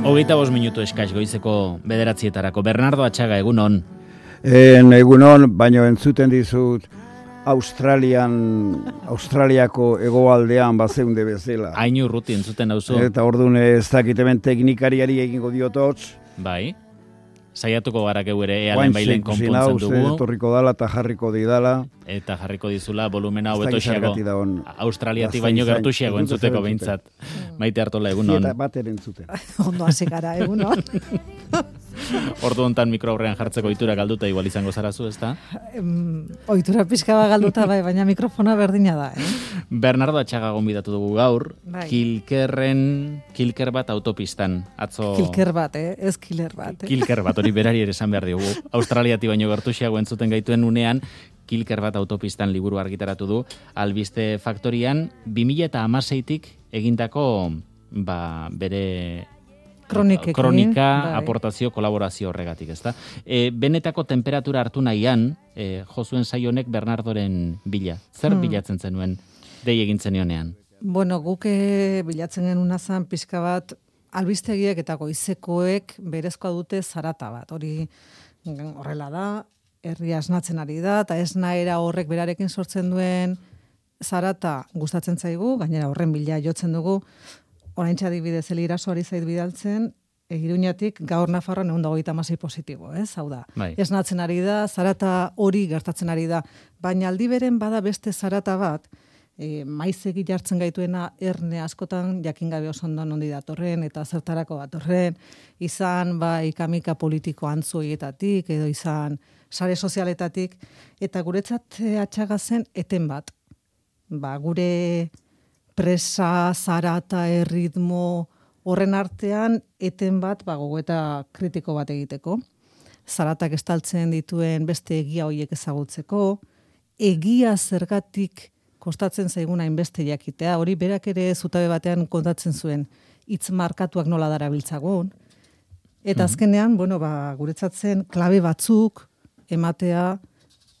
25 minutu eskaz goizeko 9:00 Bernardo Atxaga, egunon. Egunon, baino entzuten dizut Australiako hegoaldean bazeunde bezala. Hain urruti entzuten dauzu. Eta orduan ez dakitemen teknikariari egingo diotots. Bai. Saiatuko gara geu ere ealen bailen konpontzen dugu. Etorriko dala eta jarriko didala. Eta jarriko dizula volumena hobetoxiago. Australiatik baino gertuxiago entzuteko behintzat. Maite Artola, egunon. Eta bat entzuten. Ondo hasi gara, egunon. Ordu hontan mikro aurrean jartzeko ohitura galduta igual izango zarazu, ezta? Ohitura pixka bat galduta bai, baina mikrofona berdina da, Bernardo Atxaga gonbidatu dugu gaur, bai. Kilker bat autopistan. Atzo... Kilker bat, ez killer bat. Kilker bat, hori berari ere esan behar diogu. Australiati baino gertuxiago entzuten gaituen unean, Kilker bat autopistan liburu argitaratu du, Albiste Faktorian, 2016tik egindako bere... Kronika, aportazio, kolaborazio horregatik, ezta? Benetako temperatura hartu nahian, jozuen saionek Bernardoren bila. Zer bilatzen zenuen, dei egin zenionean? Bueno, guk bilatzen genuen azan pixka bat, albistegiek eta goizekoek berezkoa dute zarata bat. Hori horrela da, herria esnatzen ari da, eta esnaera horrek berarekin sortzen duen zarata gustatzen zaigu, gainera horren bila jotzen dugu, oraintxe adibidez Elirasoari zait bidaltzen, Iruñatik gaur Nafarroan 126 positibo, ez? Hau da. Bai. Esnatzen ari da, zarata hori gertatzen ari da, baina aldi beren bada beste zarata bat, maizegi jartzen gaituena erne askotan jakin gabe oso ondo nondi datorren eta zertarako datorren, izan ikamika politiko antzuietatik edo izan sare sozialetatik, eta guretzat Atxaga zen eten bat. Gure presa, zarata, erritmo, horren artean, eten bat, gogoeta kritiko bat egiteko. Zaratak estaltzen dituen beste egia horiek ezagutzeko, egia zergatik kostatzen zaiguna hainbeste jakitea, hori berak ere zutabe batean kontatzen zuen, hitz markatuak nola darabiltzagun. Eta azkenean, guretzat zen klabe batzuk ematea,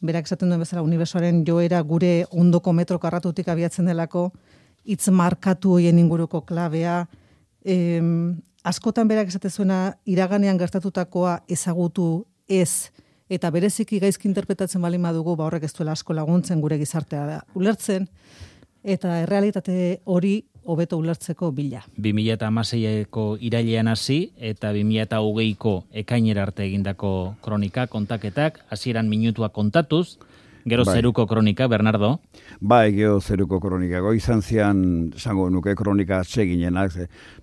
berak esaten duen bezala, unibertsoaren joera gure ondoko metro karratutik abiatzen delako, hitz markatu hoien inguruko klabea, askotan berak esate zuena iraganean gertatutakoa ezagutu ez, eta bereziki gaizki interpretatzen baldin badugu, horrek ez duela asko laguntzen gure gizartea ulertzen, eta errealitate hori hobeto ulertzeko bila. 2016ko irailean hasi eta 2020ko ekainera arte egindako kronika, kontaketak, hasieran minutua kontatuz, gero zeruko kronika, Bernardo? Gero zeruko kronika. Izan zian, esango nuke, kronika atseginenak,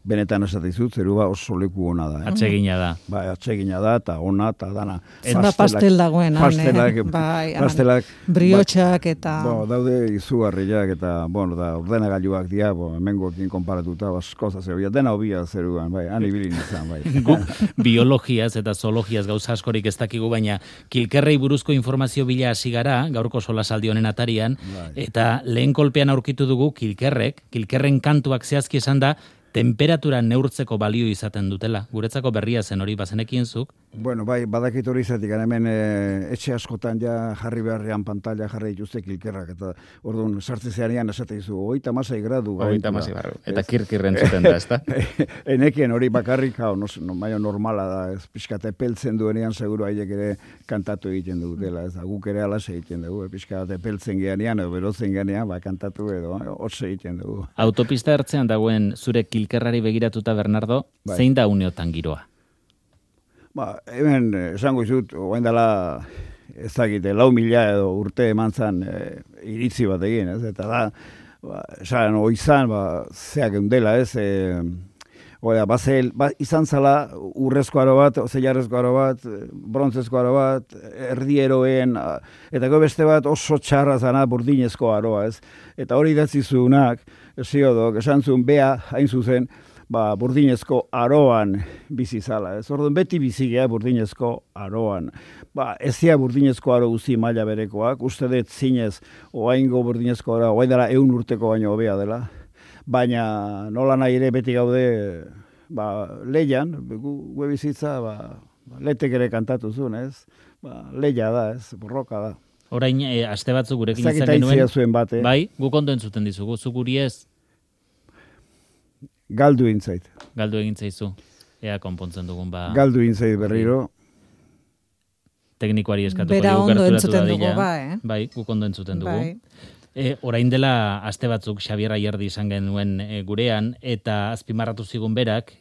benetan esatizut, zerua oso leku ona da. Atsegina da. Atsegina da, eta ona, eta dana. Zena pastel dagoen, pastelak. Briotxak eta... Daude izugarriak eta, da, ordenagailuak dira, hemengoekin konparatuta, askoza zerbia, dena hobia zeruan, han ibilin izan, Guk biologiaz eta zoologiaz gauza askorik ez dakigu, baina Kilkerrei buruzko informazio bila hasi gara, gaurko solasaldi honen atarian, eta lehen kolpean aurkitu dugu Kilkerren kantuak zehazki esan da, temperatura neurtzeko balio izaten dutela. Guretzako berria zen hori bazenekien zuk? Badakit hori izatik, hemen etxe askotan jarri beharrean pantalla jarri dituzte Kilkerrak, eta orduan sartze zeanean esate dizu, 36 gradu. 36 gradu, eta kirkirren zuten da, ezta? Enekien hori bakarrik, maio normala da, ez pixkate peltzen duenean, seguru haiek ere kantatu egiten dutela, ez da, guk ere alas egiten dugu, pixkate peltzen geanean, edo berotzen geanean, kantatu edo, hotze egiten dugu. Autopista ertzean dagoen zure Kilkerrari begiratuta, Bernardo, zein da uneotan giroa? Hemen, esango izut, oain dela, ez dakite, 4.000 edo urte eman zan iritzi bat egin, ez? Eta da, esan, oizan, zeak eundela, ez? Izan zala urrezko aro bat, zeiarrezko aro bat, brontzezko aro bat, erdieroen, eta beste bat oso txarra zana burdinezko aroa, ez? Eta hori idatzizunak, Hesiodok, esan zuen, bea, hain zuzen, burdinezko aroan bizi zala, ez? Orduan beti bizigea burdinezko aroan. Ezia burdinezko aro guzi maila berekoak, uste dut zinez, oaingo burdinezko aro, oain dela 100 urteko baino hobea dela, baina nola nahi ere beti gaude leian, gue bizitza, letek ere kantatu zuen, ez? Leia da, ez? Borroka da. Orain, aste batzuk gurekin izan genuen. Zuen bate. Bai, guk ondo entzuten dizugu, zu guri ez? Galdu egin zait. Galdu egin zaizu. ea konpontzen dugun ba... Galdu inzait berriro. Teknikoari eskatuko Bera dugu, ondo gerturatu entzuten dadila. dugu, Bai, guk ondo entzuten dugu. Bai. Orain dela aste batzuk Xabier Ayerdi izan genuen gurean, eta azpimarratu zigun berak,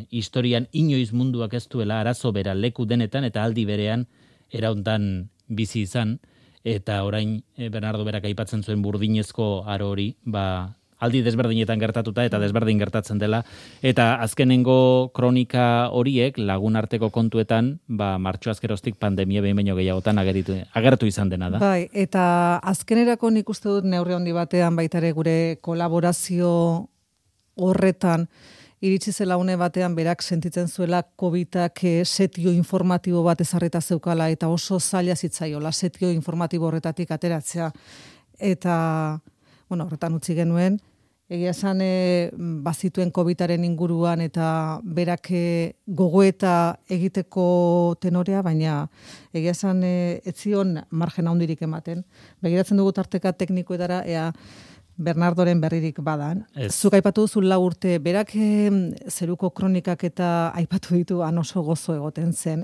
historian inoiz munduak ez duela arazo bera leku denetan, eta aldi berean erauntan bizi izan, eta orain Bernardo berak aipatzen zuen burdinezko aro hori, ba, aldi desberdinetan gertatuta eta desberdin gertatzen dela, eta azkenengo kronika horiek lagun arteko kontuetan, ba, martxoaz geroztik pandemia behin baino gehiagotan agertu izan dena da. Bai, eta azkenerako nik uste dut neurri handi batean baitare gure kolaborazio horretan iritsi zela une batean berak sentitzen zuela COVID-ak setio informatibo bat ezarrita zeukala eta oso zaila zitzaiola setio informatibo horretatik ateratzea. Eta horretan utzi genuen, egia esan bazituen COVID-aren inguruan eta berak gogoeta egiteko tenorea, baina egia esan ez zion margen handirik ematen. Begiratzen dugu tarteka teknikoetara, ea Bernardoren berririk badan. Zuk aipatu duzu 4 urte, berak zeruko kronikak eta aipatu ditu han oso gozo egoten zen.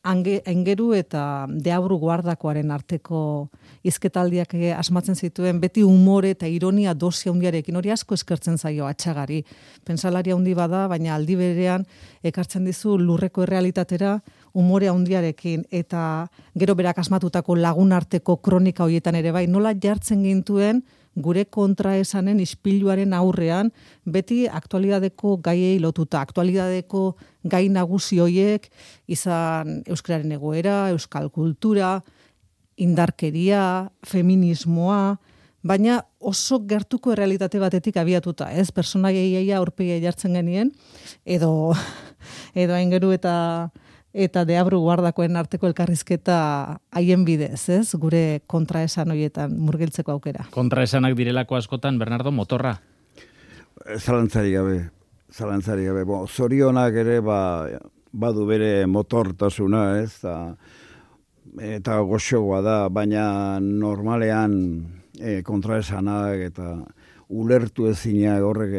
Aingeru eta Deabru guardakoaren arteko hizketaldiak asmatzen zituen, beti umore eta ironia dosia handiarekin, hori asko eskertzen zaio Atxagari. Pentsalaria handi bada, baina aldi berean ekartzen dizu lurreko errealitatera umore handiarekin, eta gero berak asmatutako lagun arteko kronika horietan ere bai, nola jartzen gintuen gure kontraesanen ispiluaren aurrean, beti aktualidadeko gaiei lotuta, aktualidadeko gai nagusi hoiek, izan euskararen egoera, euskal kultura, indarkeria, feminismoa, baina oso gertuko errealitate batetik abiatuta, ez? Personaiei aurpegia jartzen genien, edo Aingeru eta Deabru guardakoen arteko elkarrizketa haien bidez, ez? Gure kontraesan horietan murgiltzeko aukera. Kontraesanak direlako askotan, Bernardo, motorra? Zalantzarik gabe. Zorionak ere badu bere motortasuna, ez? Eta goxoa da, baina normalean kontraesanak eta ulertu ezinak horrek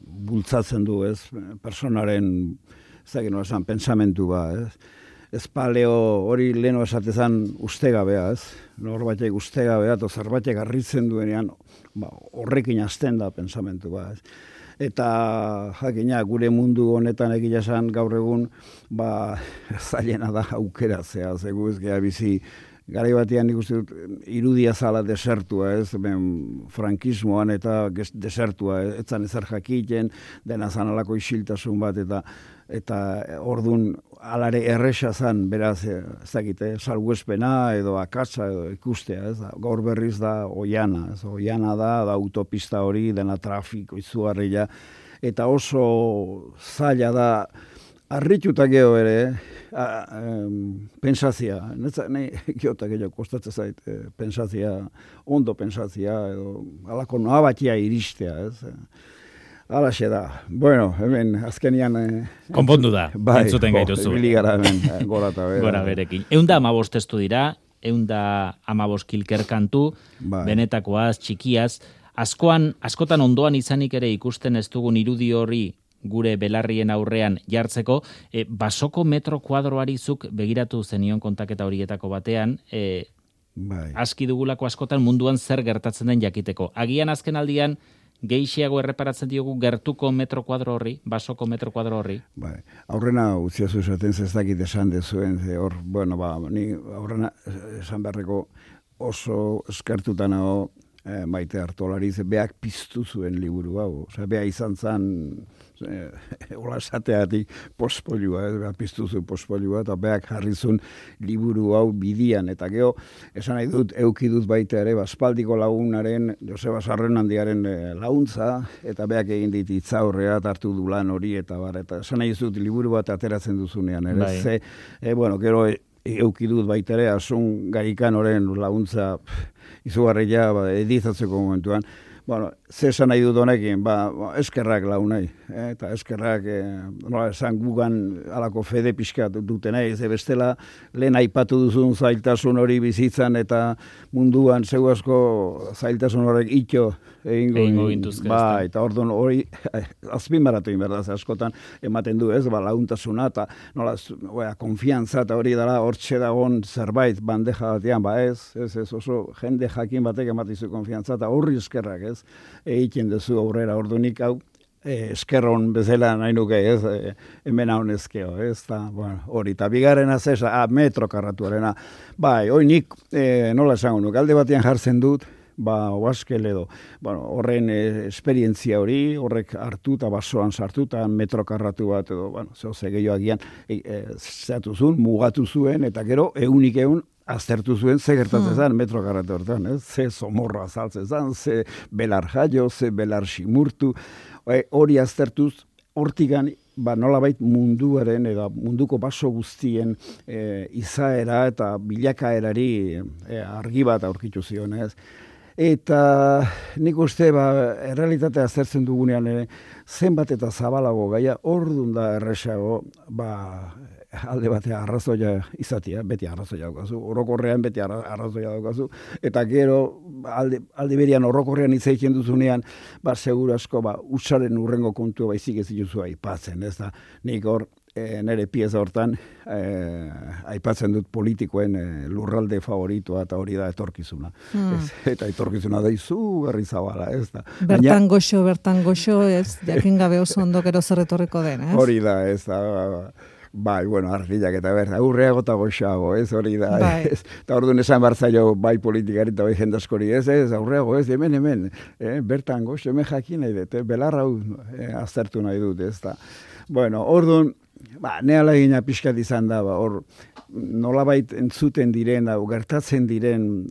bultzatzen du, ez? Personaren pensamentu ba, ez? Ez paleo hori leheno esatezan ustegabea, ez? Norbaitek ustegabea, eta zerbaitek harritzen duenean, horrekin hasten da pensamentu ba, ez? Eta jakina gure mundu honetan egia esan gaur egun zailena da aukeratzea, zegu ez geha bizi garai batean nik uste dut irudia zala desertua, ez? Frankismoan eta desertua, etzan ezer jakiten, dena zanalako isiltasun bat, eta ordun alare erresa zan, beraz, ez dakite, salbuespena edo akatsa edo ikustea, ez? Gaur berriz da oiana, ez? Oiana da autopista hori, dena trafiko izugarria, eta oso zaila da, arrituta geho ere, pensazia, nahi giotak gehiago kostatzen zait, pensazia, ondo pensazia, edo alako noa batia iristea, ez? Alaxe da. Bueno, hemen azkenian... Konpondu da, entzuten gaituzu. Ibili gara hemen, gora eta bera. Gora berekin. 115 testu dira, 115 kilker kantu, benetakoaz, txikiaz, askotan ondoan izanik ere ikusten ez dugun irudi hori gure belarrien aurrean jartzeko, basoko metro kuadroari zuk begiratu zenion kontaketa horietako batean, aski dugulako askotan munduan zer gertatzen den jakiteko. Agian azken aldian, gehiago erreparatzen diogu gertuko metro kuadro horri, basoko metro kuadro horri? Aurrena utziazu esaten ez dakit esan dezuen, ni aurrena esan beharreko oso eskertutan hau Maite Artolari, beak piztu zuen liburu hau. Bea izan zen, hola esateatik pospoliua, piztu zuen pospoliua, eta beak jarri zuen liburu hau bidian. Eta geho, esan nahi dut, euki dut baita ere, Baspaldiko lagunaren, Joseba Sarrenandiaren laguntza, eta beak egin dit itzaurrea, hartu du lan hori, eta esan nahi dut liburu bat ateratzen duzunean. Gero euki dut baita ere, Asun Garikan horren laguntza izugarria editatzeko momentuan. Zesan nahi dut honekin, eskerrak launai, eta eskerrak, nola esan gugan alako fede pixkat dutenei, ze bestela lehen aipatu duzun zailtasun hori bizitzan eta munduan zeu asko zailtasun horrek ito egingo gintuzke. Eta orduan hori azpimarratu inberdaz askotan ematen du, ez, laguntasuna eta nola, konfiantza eta hori dara hortxe dagoen zerbait bandeja batean, ez oso jende jakin batek ematizu konfiantza eta horri eskerrak, ez, egiten duzu aurrera ordunik hau, eskerron bezala nahi nuke, ez, hemen hau nezkeo, ez, hori, eta bigarrena zesa, metro karratuarena, hoi nik, nola esango nuke, alde batean jartzen dut, oaskel edo, horren esperientzia hori, horrek hartu eta basoan sartu eta metro karratu bat edo, zehose gehioagian, zehatu zuen, mugatu zuen, eta gero, egunik aztertu zuen ze gertatzen zen metro karratu hortan, ze somorro azaltzen zen, ze belar jaio, ze belar simurtu, hori aztertuz, hortigan, nolabait munduaren eta munduko baso guztien izaera eta bilakaerari argi bat aurkitu zion, ez? Eta nik uste, errealitatea aztertzen dugunean zenbat eta zabalago gaia, ordun da erresago, alde batea arrazoia izatea, beti arrazoia daukazu, orokorrean beti arrazoia daukazu, eta gero alde berian orokorrean hitz egiten duzunean, seguru asko, usaren urrengo kontu baizik ez dituzu aipatzen, ez da, nik hor, nire pieza hortan, aipatzen dut politikoen lurralde favoritoa eta hori da etorkizuna. Eta etorkizuna da izugarri zabala, ez da. Bertan goxo, ez, jakin gabe oso ondo gero zer etorriko den, ez? Hori da, ez da, argilak eta aurreago eta goxago, ez hori da, ez. Eta orduan esan bartzaio, politikari eta jendaskori, ez, aurreago, ez, hemen, bertan goxo, hemen jakin nahi dut, belarra aztertu nahi dut, ez da. Orduan, nehala egina pixkat izan da, hor nolabait entzuten diren, gertatzen diren,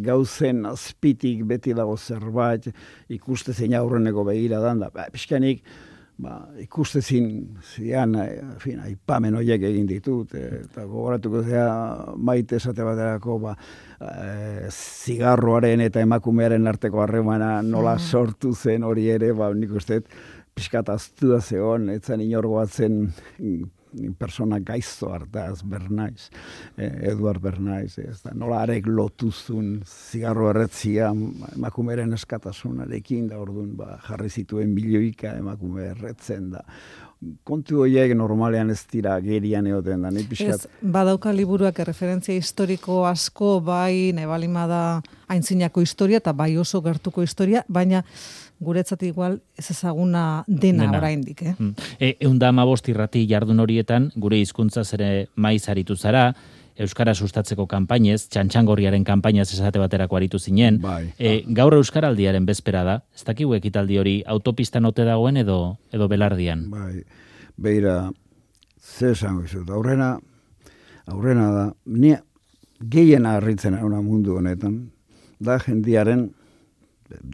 gauzen azpitik beti dago zerbait, ikuste zein aurreneko begira dan da, pixkanik, ikustezin zian, aipamen horiek egin ditut, eta gogoratuko zea maite esate baterako, zigarroaren eta emakumearen arteko harremana nola sortu zen hori ere, nik uste, pixkat aztua zegoen, etzan inorgoatzen persona gaizto hartaz, Bernaiz, Eduard Bernaiz, nola arek lotuzun zigarro erretzia emakumeren eskatasunarekin, da orduan jarri zituen milioika emakume erretzen da. Kontu horiek normalean ez dira gerian egoten da, pixkat. Badauka liburuak referentzia historiko asko, nebalima da aintzinako historia, eta bai oso gertuko historia, baina guretzat igual ez ezaguna dena oraindik, Eunda 15 irrati jardun horietan, gure hizkuntzaz ere maiz aritu zara, Euskara sustatzeko kanpainez, Txantxangorriaren kanpainaz esate baterako aritu zinen. Gaur Euskaraldiaren bezpera da, ez dakigu ekitaldi hori autopistan ote dagoen edo belardian? Beira, ze esango izut, aurrena da, ni gehien harritzen una mundu honetan, da jendiaren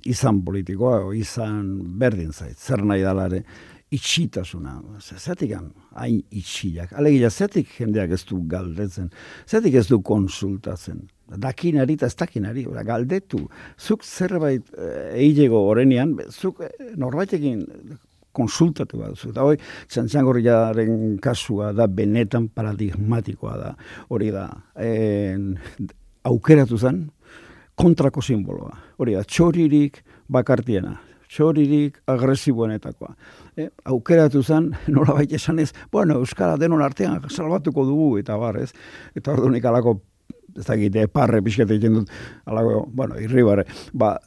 izan politikoa, izan berdin zait, zer nahi dalare, itxitasuna, zetik hain itxiak, alegia zetik jendeak ez du galdetzen, zetik ez du konsultatzen, dakinari eta ez dakinari, galdetu, zuk zerbait egilego horrenean, zuk norbaitekin konsultatu bat duzu, eta hoi, Txantxangorriaren kasua da benetan paradigmatikoa da, hori da, aukeratu zen, kontrako simboloa. Hori da, txoririk bakartiena, txoririk agresiboenetakoa. Aukeratu zen, nolabait esanez, Euskara denon artean salbatuko dugu, eta ez? Eta ordunik alako, ez dakite, parre pixkete egiten dut, alako, irribarre,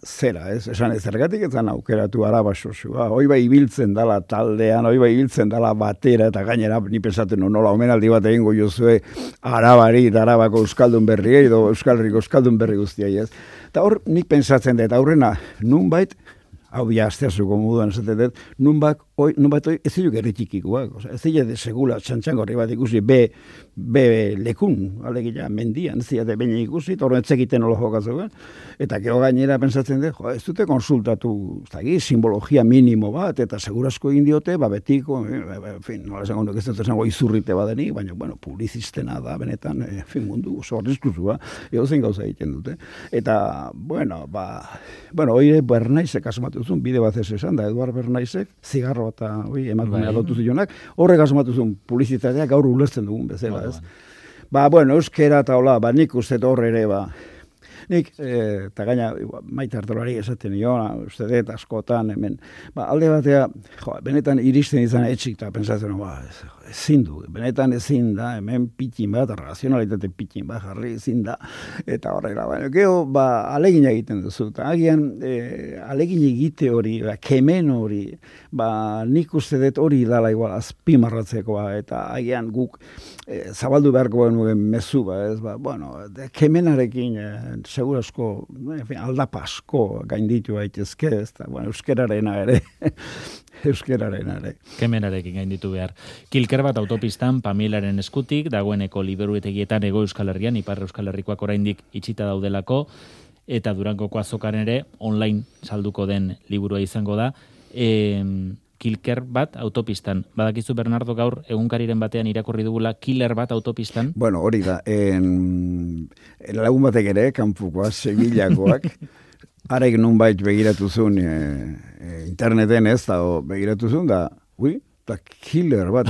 zera, ez? Esan ez zergatik etzan aukeratu arabasosua. Hoi ibiltzen dala taldean, hoi ibiltzen dala batera, eta gainera, ni pensatzen nola, omenaldi bat egingo jozue arabari, eta arabako euskaldun berri, edo Euskal Herriko euskaldun berri guztiai, ez? Eta hor, nik pensatzen dut, aurrena, nunbait, hau ja asteazuko moduan esatetet, nunbat ez ziluk erritikikoak, ez zile segula txantxangorri bat ikusi, be lekun, alegia mendian, ez zile baina ikusi, torren etzekiten olo jokazuen, eta gero gainera pensatzen dut, ez dute konsultatu, simbologia minimo bat, eta segurazko egin diote, betiko, en fin, nola esango nuk ez dut esango izurrite badenik, baina, publizistena da, benetan, mundu oso arriskuzua, edozein gauza egiten dute. Eta, oire Bernaizek asmatu zuen, bide bat ez esan da, Eduard Bernaizek, zigarro eta emakumea lotu zionak, horrek asmatu zuen publizitatea gaur ulertzen dugun bezala, ez? Euskera eta hola, nik uste horre ere, nik, eta gaina, Maite Artolari esaten uste dut askotan, hemen, alde batea, benetan iristen izan etxik, eta pensatzen, ezin du, benetan ezin da, hemen pitin bat, razionalitate pitin bat, jarri ezin da, eta horrela, geho, alegin egiten duzu, eta agian, alegin egite hori, kemen hori, nik uste dut hori dala igual, azpimarratzekoa, eta agian guk, zabaldu beharko benuen mezu, kemenarekin, segurasko, aldapa asko gainditu gaitezke, euskerarena ere, Kemenarekin gainditu behar. Kilker bat autopistan Pamilaren eskutik, dagoeneko liburuetegietan Hego Euskal Herrian, Ipar Euskal Herrikoak oraindik itxita daudelako, eta Durangoko azokaren ere online salduko den liburua izango da. Kilker bat autopistan. Badakizu Bernardo gaur egunkariren batean irakurri dugula Killer bat autopistan? Hori da. Lagun batek ere, kanpukoak, Sevillakoak, harek nunbait begiratu zuen interneten ez, begiratu zuen da, eta killer bat,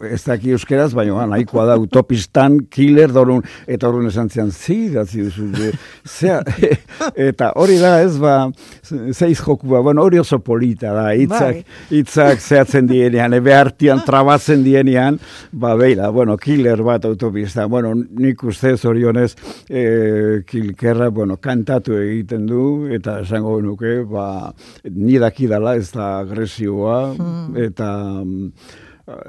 ez daki euskeraz, baina nahikoa da utopistan, killer, eta horren esan zian, zidatzi duzu, eta hori da ez, zeiz jokua, hori oso polita da, hitzak zehatzen dienean, behartian trabatzen dienean, killer bat autopistan, nik ustez orionez, kilkerra, kantatu egiten du, eta esango nuke, nidakidala ez da agresioa, eta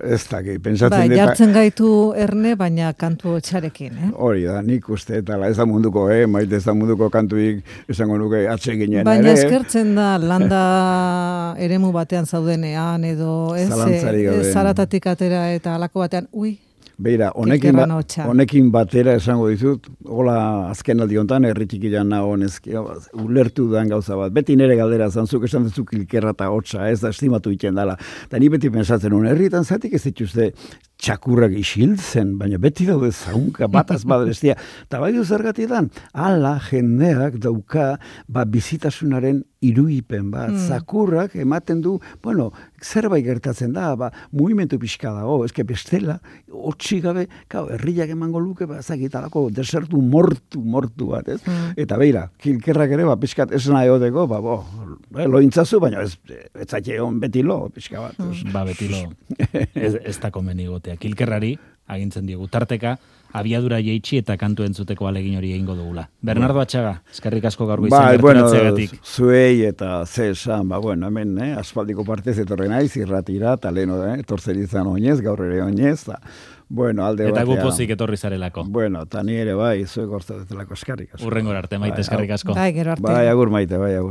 ez daki, pentsatzen dut... jartzen gaitu erne, baina kantu hotxarekin, Hori da, nik uste, eta ez da munduko, maite ez da munduko kantuik, esango nuke atseginen, baina eskertzen da, landa eremu batean zaudenean, edo zaratatik atera eta alako batean, Beira, honekin batera esango dizut, hola azken aldi hontan erritikilan nago ulertu dan gauza bat. Beti nire galdera zantzuk esan duzu kilkerra eta hotza, ez da estimatu iten dela. Eta ni beti pensatzen nuen, herrietan zatik ez dituzte txakurrak isiltzen, baina beti daude zaunka, bataz badrestia. Eta bai zergatidan, ala jendeak dauka bizitasunaren iruipen bat. Zakurrak ematen du, zerbait gertatzen da, mugimendu pixka dago, ezke bestela, hotxi gabe, herriak emango luke, zagitalako desertu mortu bat, ez? Eta beira, kilkerrak ere, pixkat esna eoteko, lointzazu, baina ez zaite egon beti lo, pixka bat. Beti lo, ez da komeni gotea. Kilkerrari, agintzen diegu, tarteka, abiadura jeitsi eta kantu entzuteko alegin hori egingo dugula. Bernardo Atxaga, eskerrik asko gaur goizan gerturatzeagatik. Zuei eta zesan, hemen, aspaldiko partez etorren naiz, irratira, eta leheno, etortzen izan oinez, gaur ere oinez, alde eta gupozik etorri zarelako. Eta ni ere zuek orzatetelako eskerrik asko. Urrengor arte, Maite, eskerrik asko. Bai, gero arte. Bai, agur Maite, bai, agur.